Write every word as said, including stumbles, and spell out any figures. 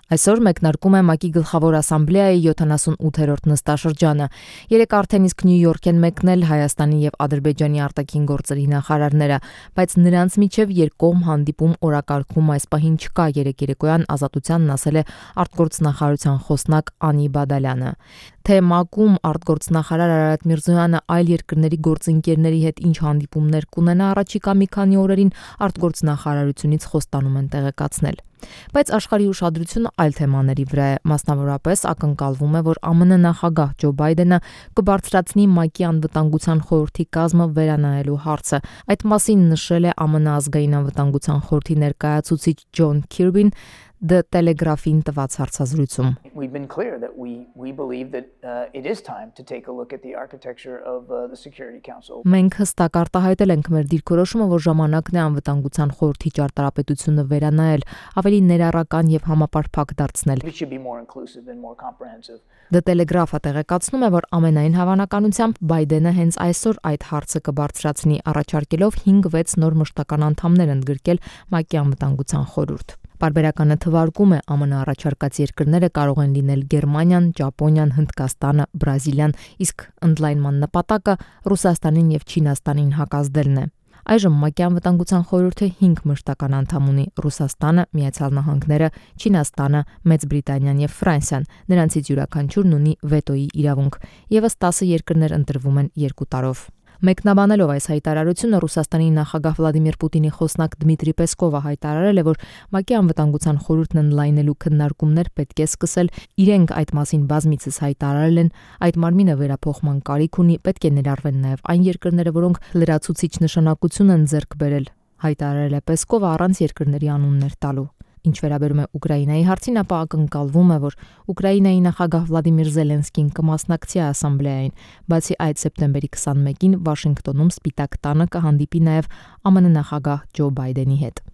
Այսօր մեկնարկում է ՄԱԿ-ի գլխավոր ասամբլեայի յոթանասունութերորդ նստաշրջանը։ Երեկ արդեն իսկ Նյու Յորք են մեկնել Հայաստանի եւ Ադրբեջանի արտաքին գործերի նախարարները, բայց նրանց միջև երկկողմ հանդիպում օրակարգում այս պահին չկա, երեկ երեկոյան Ազատությանն ասել է արտգործնախարարության խոսնակ Անի Բադալյանը։ Թե ՄԱԿ-ում արտգործնախարար Արարատ Միրզոյանը այլ երկրների գործընկերների հետ ինչ հանդիպումներ կունենա առաջիկա մի քանի օրերին, արտգործնախարարությունից խոստանում են տեղեկացնել։ Բայց աշխարհի ուշադրությունը այլ թեմաների վրա է, մասնավորապես ակնկալվում է, որ ԱՄՆ նախագահ Ջո Բայդենը կբարձրացնի ՄԱԿ-ի անվտանգության խորհրդի կազմը վերանայելու հարցը։ Այդ մասին նշել է ԱՄՆ ազգային անվտանգության խորհրդի ներկայացուցիչ Ջոն Քիրբին The Telegraph-ին տված հարցազրույցում։ We've been clear that we we believe that uh, it is time to take a look at the architecture of uh, the Security Council. Մենք հստակ արտահայտել ենք մեր դիրքորոշումը, որ ժամանակն է անվտանգության խորհրդի ճարտարապետությունը վերանայել, ավելի ներառական եւ համապարփակ դարձնել։ It should be more inclusive and more comprehensive. The Telegraph-ը տեղեկացնում է, որ ամենայն հավանականությամբ Բայդենը հենց այսօր այդ հարցը կբարձրացնի, առաջարկելով հինգ-վեց նոր մշտական անդամներ ընդգրկել ՄԱԿ-ի անվտանգության խորհուրդ։ Պարբերականը թվարկում է ԱՄՆ առաջարկած երկրները կարող են լինել Գերմանիան, Ճապոնիան, Հնդկաստանը, Բրազիլիան, իսկ ընդլայնման նպատակը Ռուսաստանին եւ Չինաստանին հակազդելն է։ Այժմ ՄԱԿ-ի անվտանգության խորհուրդը հինգ մշտական անդամ ունի՝ Ռուսաստանը, Միացյալ Նահանգները, Չինաստանը, Մեծ Բրիտանիան եւ Ֆրանսիան։ Նրանցից յուրաքանչյուրն ունի վետոյի իրավունք։ Եվս տասը երկրներ ընտրվում են երկու տարով։ Մեկնաբանելով այս հայտարարությունը Ռուսաստանի նախագահ Վլադիմիր Պուտինի խոսնակ Դմիտրի Պեսկովը հայտարարել է, որ ՄԱԿ-ի անվտանգության խորհուրդն ընդլայնելու քննարկումներ պետք է սկսել, իրենք այդ մասին բազմիցս հայտարարել են, այդ մարմինը վերափոխման կարիք ունի, պետք է ներառվեն նաև այն երկրները, որոնք լրացուցիչ նշանակություն են ձեռք բերել, հայտարարել է Պեսկովը առանց երկրների անուններ տալու։ Ինչ վերաբերում է Ուկրաինայի հարցին, ապա ակնկալվում է, որ Ուկրաինայի նախագահ Վլադիմիր Զելենսկին կմասնակցի ասամբլեային, բացի այդ սեպտեմբերի քսանմեկին Վաշինգտոնում Սպիտակ տանը կհանդիպի նաև ԱՄՆ նախագահ Ջո Բայդենի հետ։